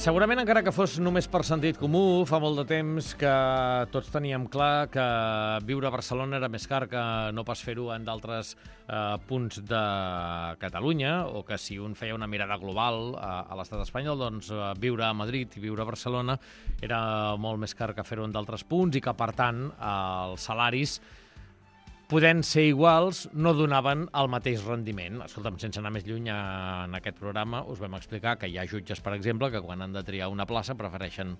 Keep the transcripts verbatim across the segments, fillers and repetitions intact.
Segurament, encara que fos només per sentit comú, fa molt de temps que tots teníem clar que viure a Barcelona era més car que no pas fer-ho en d'altres eh, punts de Catalunya, o que si un feia una mirada global a, a l'estat espanyol, doncs eh, viure a Madrid i viure a Barcelona era molt més car que fer-ho en d'altres punts i que, per tant, eh, els salaris, podent ser iguals, no donaven el mateix rendiment. Escolta'm, sense anar més lluny en aquest programa, us vam explicar que hi ha jutges, per exemple, que quan han de triar una plaça prefereixen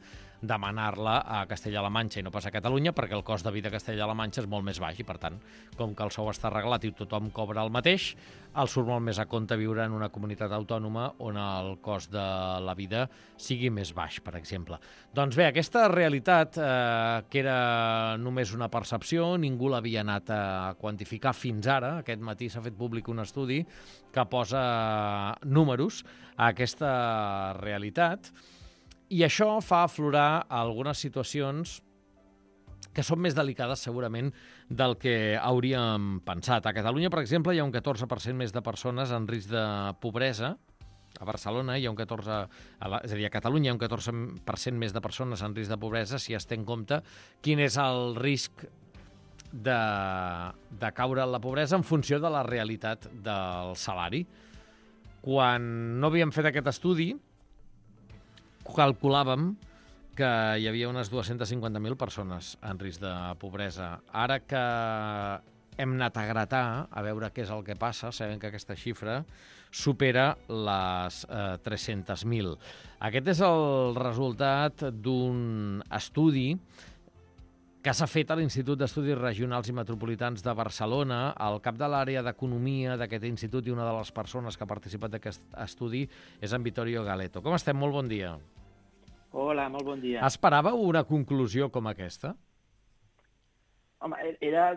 demanar-la a Castella-La Manxa i no pas a Catalunya, perquè el cost de vida a Castella-La Manxa és molt més baix i, per tant, com que el sou està arreglat i tothom cobra el mateix, el surt molt més a compte viure en una comunitat autònoma on el cost de la vida sigui més baix, per exemple. Doncs bé, aquesta realitat, eh, que era només una percepció, ningú l'havia anat a quantificar fins ara. Aquest matí s'ha fet públic un estudi que posa números a aquesta realitat i això fa aflorar algunes situacions que són més delicades segurament del que hauríem pensat. A Catalunya, per exemple, hi ha un catorze per cent més de persones en risc de pobresa. A Barcelona hi ha un catorze... És a dir, a Catalunya hi ha un catorze per cent més de persones en risc de pobresa si es té en compte quin és el risc de, de caure en la pobresa en funció de la realitat del salari. Quan no havíem fet aquest estudi, calculàvem que hi havia unes dues-centes cinquanta mil persones en risc de pobresa. Ara que hem anat a gratar a veure què és el que passa, sabem que aquesta xifra supera les eh, tres-centes mil. Aquest és el resultat d'un estudi que s'ha fet a l'Institut d'Estudis Regionals i Metropolitans de Barcelona. El cap de l'àrea d'Economia d'aquest institut i una de les persones que ha participat d'aquest estudi és en Vittorio Galeto. Com estem? Molt bon dia. Hola, molt bon dia. Esperàveu una conclusió com aquesta? Home, era,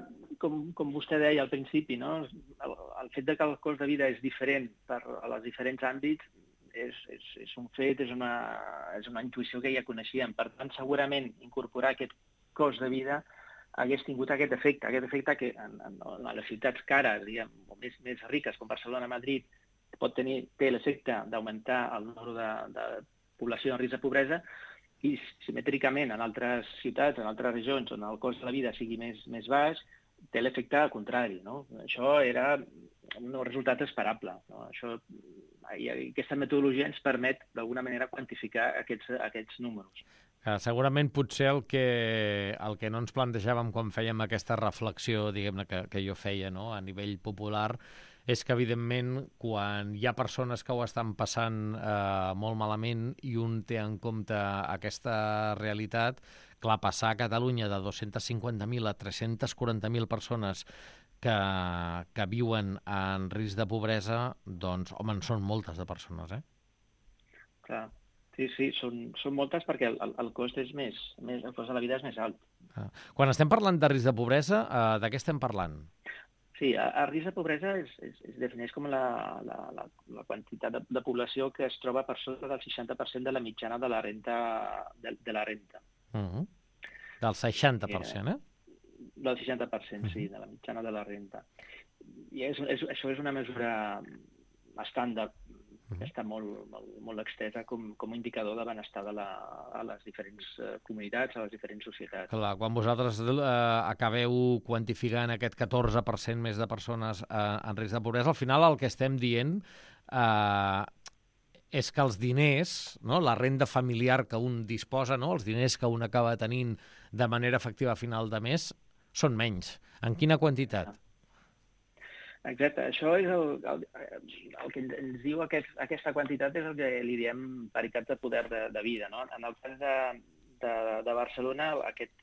com, com vostè deia al principi, no? el, el fet de que el cost de vida és diferent per a els diferents àmbits és, és, és un fet, és una, és una intuïció que ja coneixíem. Per tant, segurament incorporar aquest cost de vida hagués tingut aquest efecte, aquest efecte que en, en, en les ciutats cares, diguem, o més, més riques, com Barcelona, Madrid, pot tenir, té l'efecte d'augmentar el número de, de població en risc de pobresa, i simètricament en altres ciutats, en altres regions on el cost de la vida sigui més, més baix, té l'efecte contrari, no? Això era un resultat esperable, no? Això, i aquesta metodologia ens permet d'alguna manera quantificar aquests, aquests números. Uh, segurament potser el que, el que no ens plantejàvem quan fèiem aquesta reflexió, diguem-ne, que, que jo feia, no?, a nivell popular, és que, evidentment, quan hi ha persones que ho estan passant eh, molt malament i un té en compte aquesta realitat, clar, passar a Catalunya de dos-centes cinquanta mil a tres-centes quaranta mil persones que, que viuen en risc de pobresa, doncs, home, en són moltes de persones, eh? Clar. Sí, sí, són, són moltes perquè el, el cost és més, més, el cost de la vida és més alt. Ah. Quan estem parlant de risc de pobresa, eh, de què estem parlant? Sí, el risc de pobresa es, es, es defineix com la, la, la, la quantitat de, de població que es troba per sota del seixanta per cent de la mitjana de la renta. De, de la renta. Uh-huh. Del seixanta per cent, eh? Del seixanta per cent, uh-huh. Sí, de la mitjana de la renta. I és, és, això és una mesura estàndard, que està molt, molt, molt extesa com, com a indicador de benestar de la, a les diferents uh, comunitats, a les diferents societats. Clar, quan vosaltres eh, acabeu quantificant aquest catorze per cent més de persones eh, en risc de pobresa, al final el que estem dient eh, és que els diners, no?, la renda familiar que un disposa, no?, els diners que un acaba tenint de manera efectiva a final de mes, són menys. En quina quantitat? Exacte, això és el, el, el que ens diu aquest, aquesta quantitat és el que li diem paritat de poder de, de vida, no? En el cas de, de, de Barcelona, aquest,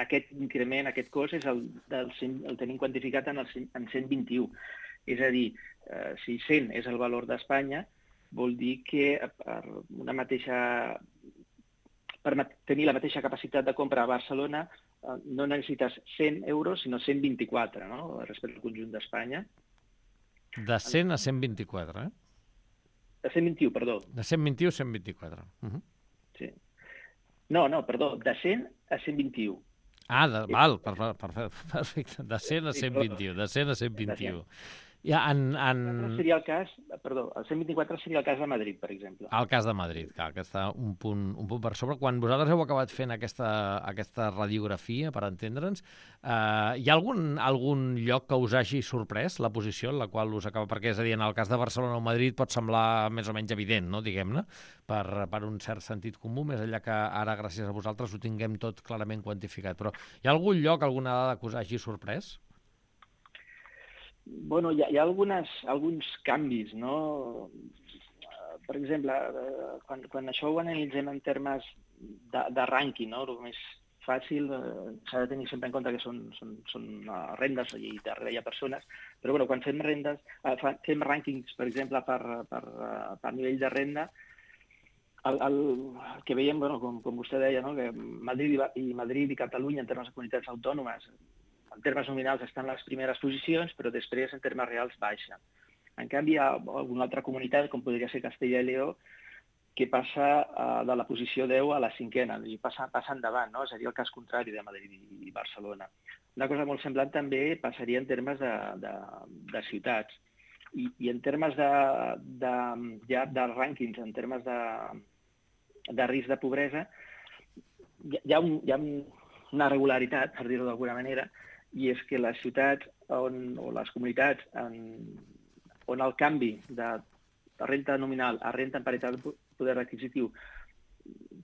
aquest increment, aquest cost, és el, del, el tenim quantificat en, el, en cent vint-i-u. És a dir, eh, si cent és el valor d'Espanya, vol dir que per una mateixa... per tenir la mateixa capacitat de compra a Barcelona eh, no necessites cent euros, sinó cent vint-i-quatre, no?, respecte al conjunt d'Espanya. De cent a cent vint-i-quatre, eh? De cent vint-i-u, perdó. De cent vint-i-u a cent vint-i-quatre. Uh-huh. Sí. No, no, perdó, de cent a cent vint-i-u. Ah, de, val, per, per, perfecte. De cent a cent vint-i-u, de cent a cent vint-i-u. Ja, en, en... Seria el cas, perdó, el cent vint-i-quatre seria el cas de Madrid, per exemple. El cas de Madrid, clar, que està un punt, un punt per sobre. Quan vosaltres heu acabat fent aquesta, aquesta radiografia, per entendre'ns, eh, hi ha algun, algun lloc que us hagi sorprès la posició en la qual us acaba? Perquè, és a dir, en el cas de Barcelona o Madrid pot semblar més o menys evident, no?, diguem-ne, per, per un cert sentit comú, més enllà que ara, gràcies a vosaltres, ho tinguem tot clarament quantificat. Però hi ha algun lloc, alguna dada que us hagi sorprès? Bueno, hi ha, hi ha algunes, alguns canvis, no? Per exemple, quan, quan això ho analitzem en termes de, de rànquing, no? El més fàcil eh, s'ha de tenir sempre en compte que són, són, són uh, rendes i darrere hi ha persones, però bueno, quan fem rendes, uh, fem rànquings, per exemple, per, per, uh, per nivell de renda, el, el, el que veiem, bueno, com, com vostè deia, no? Que Madrid i, i Madrid i Catalunya, en termes de comunitats autònomes, en termes nominals estan les primeres posicions, però després en termes reals baixa. En canvi, hi ha alguna altra comunitat, com podria ser Castella i Lleó, que passa uh, de la posició deu a la cinquena, i passa, passa endavant, no? Seria el cas contrari de Madrid i Barcelona. Una cosa molt semblant també passaria en termes de, de, de ciutats. I, i en termes de, de, ja, de rànquings, en termes de, de risc de pobresa, hi, hi, ha un, hi ha una regularitat, per dir-ho d'alguna manera, i és que les ciutats on, o les comunitats en, on el canvi de renta nominal a renta en paritat de poder adquisitiu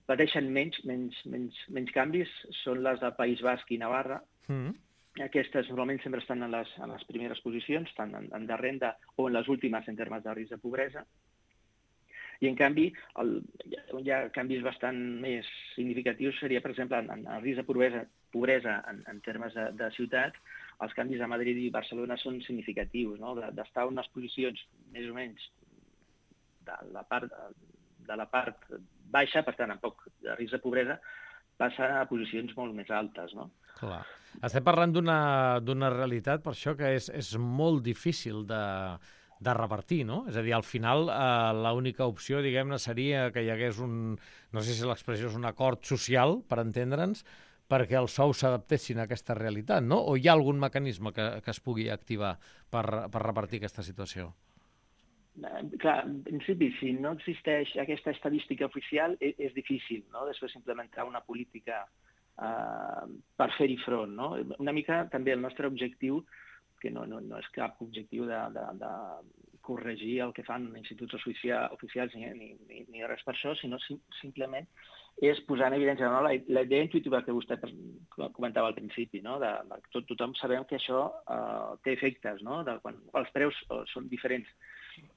pateixen menys, menys, menys, menys canvis són les del País Basc i Navarra. Mm. Aquestes normalment sempre estan en les, en les primeres posicions, tant en, en de renda o en les últimes en termes de risc de pobresa. I, en canvi, el, hi ha canvis bastant més significatius, seria, per exemple, en, en risc de pobresa, pobresa en, en termes de, de ciutats, els canvis a Madrid i Barcelona són significatius, no? D'estar en unes posicions més o menys de la part, de la part baixa, per tant, amb poc de risc de pobresa, passa a posicions molt més altes, no? Clar. Estem parlant d'una realitat, per això, que és, és molt difícil de... de repartir, no? És a dir, al final, eh, l'única opció, diguem-ne, seria que hi hagués un, no sé si l'expressió és un acord social, per entendre'ns, perquè els sous s'adaptessin a aquesta realitat, no? O hi ha algun mecanisme que, que es pugui activar per, per repartir aquesta situació? Clar, en principi, si no existeix aquesta estadística oficial, és, és difícil, no?, després implementar una política eh, per fer-hi front, no? Una mica també el nostre objectiu, que no, no, no és cap objectiu de, de, de corregir el que fan instituts oficials ni, ni, ni res per això, sinó sim, simplement és posar en evidència, no? la, la idea intuïtiva que vostè comentava al principi, no? De, de, tot, tothom sabem que això uh, té efectes, no? De quan els preus uh, són diferents.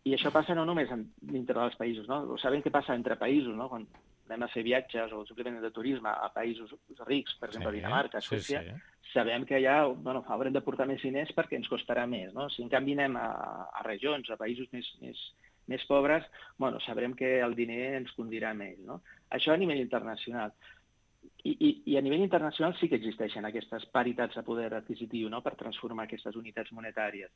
I això passa no només en, dintre dels països, no? Sabem què passa entre països, no? Quan anem a fer viatges o simplement de turisme a països rics, per exemple, sí, Dinamarca, Suècia, sí, sí. Sabem que allà bueno, haurem de portar més diners perquè ens costarà més, no? Si en canvi anem a, a regions, a països més, més, més pobres, bueno, sabrem que el diner ens condirà més, no? Això a nivell internacional. I, i, I a nivell internacional sí que existeixen aquestes paritats de poder adquisitiu, no?, per transformar aquestes unitats monetàries.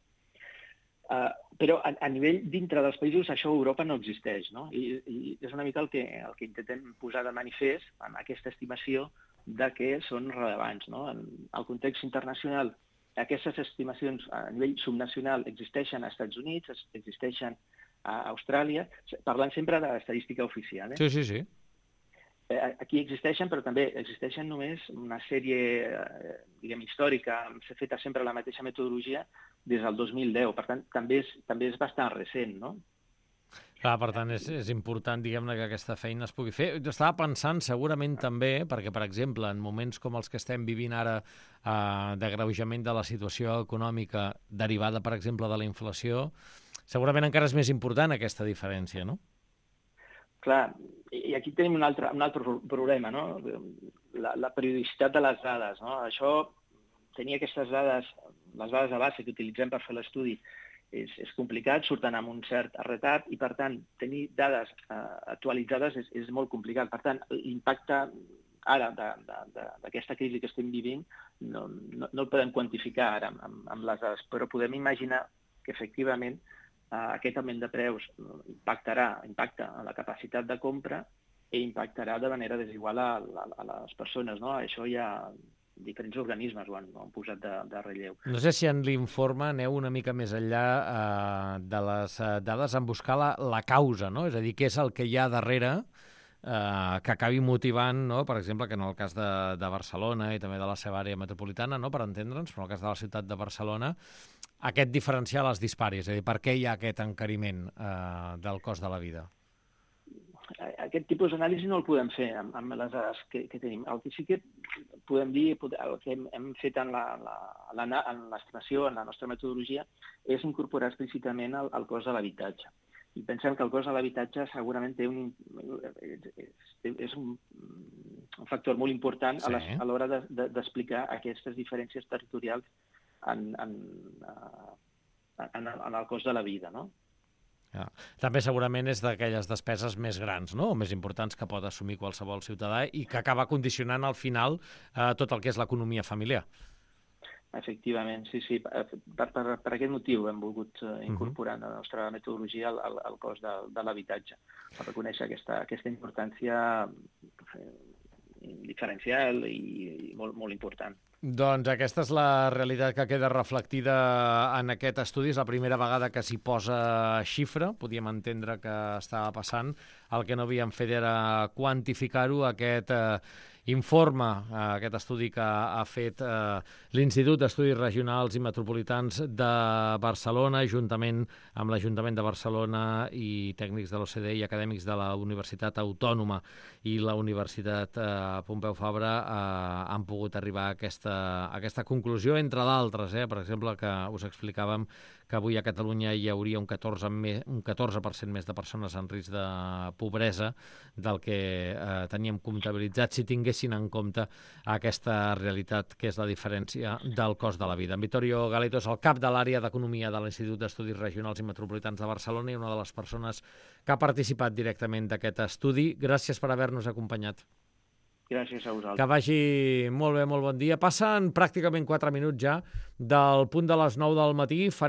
Uh, però a, a nivell dintre dels països això a Europa no existeix, no? I, i és una mica el que, el que intentem posar de manifest en aquesta estimació de que són rellevants, no? En el context internacional, aquestes estimacions a nivell subnacional existeixen als Estats Units, existeixen a Austràlia, parlant sempre de l'estadística oficial. Eh? Sí, sí, sí. Aquí existeixen, però també existeixen només una sèrie, diguem, històrica, s'ha fet sempre la mateixa metodologia des del dos mil deu, per tant, també és, també és bastant recent, no? Clar, per tant, és, és important, diguem-ne, que aquesta feina es pugui fer. Jo estava pensant, segurament també, perquè, per exemple, en moments com els que estem vivint ara, eh, d'agreujament de la situació econòmica derivada, per exemple, de la inflació, segurament encara és més important aquesta diferència, no? Clar, i aquí tenim un altre, un altre problema, no? La, la periodicitat de les dades, no? Això, tenir aquestes dades, les dades de base que utilitzem per fer l'estudi, és, és complicat, surten amb un cert retard i, per tant, tenir dades eh, actualitzades és, és molt complicat. Per tant, l'impacte ara d'aquesta crisi que estem vivint no, no, no el podem quantificar ara amb, amb les dades, però podem imaginar que, efectivament, Uh, aquest augment de preus impactarà, impacta a la capacitat de compra i impactarà de manera desigual a, a, a les persones, no? Això ja, diferents organismes ho han, ho han posat de, de relleu. No sé si en l'informe aneu una mica més enllà eh, de les eh, dades en buscar la, la causa, no? És a dir, què és el que hi ha darrere eh, que acabi motivant, no? Per exemple, que en el cas de, de Barcelona i també de la seva àrea metropolitana, no? Per entendre'ns, però en el cas de la ciutat de Barcelona, aquest diferencial es dispari, és a dir, per què hi ha aquest encariment eh, del cost de la vida? Aquest tipus d'anàlisi no el podem fer amb, amb les dades que, que tenim. El que sí que podem dir, el que hem, hem fet en l'estimació, en la nostra metodologia, és incorporar explícitament el, el cost de l'habitatge. I pensem que el cost de l'habitatge segurament té un, és, és un, un factor molt important sí. a l'hora d'explicar de, de, aquestes diferències territorials en, en, en, en el cost de la vida, no? Ja. També segurament és d'aquelles despeses més grans, no? O més importants que pot assumir qualsevol ciutadà i que acaba condicionant al final eh, tot el que és l'economia familiar. Efectivament, sí, sí. Per, per, per aquest motiu hem volgut uh, incorporar en la nostra metodologia el, el, el cost de, de l'habitatge, per reconèixer aquesta, aquesta importància diferencial i, i molt, molt important. Doncs aquesta és la realitat que queda reflectida en aquest estudi. És la primera vegada que s'hi posa xifra. Podíem entendre que estava passant. El que no havíem fet era quantificar-ho. Aquest eh, informe, eh, aquest estudi que ha fet eh, l'Institut d'Estudis Regionals i Metropolitans de Barcelona, juntament amb l'Ajuntament de Barcelona i tècnics de l'O C D e i acadèmics de la Universitat Autònoma i la Universitat eh, Pompeu Fabra, eh, han pogut arribar a aquesta a aquesta conclusió, entre d'altres, eh? Per exemple, que us explicàvem que avui a Catalunya hi hauria un catorze per cent més de persones en risc de pobresa del que eh, teníem comptabilitzat si tinguessin en compte aquesta realitat que és la diferència del cost de la vida. En Vittorio Galeto és el cap de l'àrea d'Economia de l'Institut d'Estudis Regionals i Metropolitans de Barcelona i una de les persones que ha participat directament d'aquest estudi. Gràcies per haver-nos acompanyat. Gràcies a vosaltres. Que vagi molt bé, molt bon dia. Passen pràcticament quatre minuts ja del punt de les nou del matí. Farem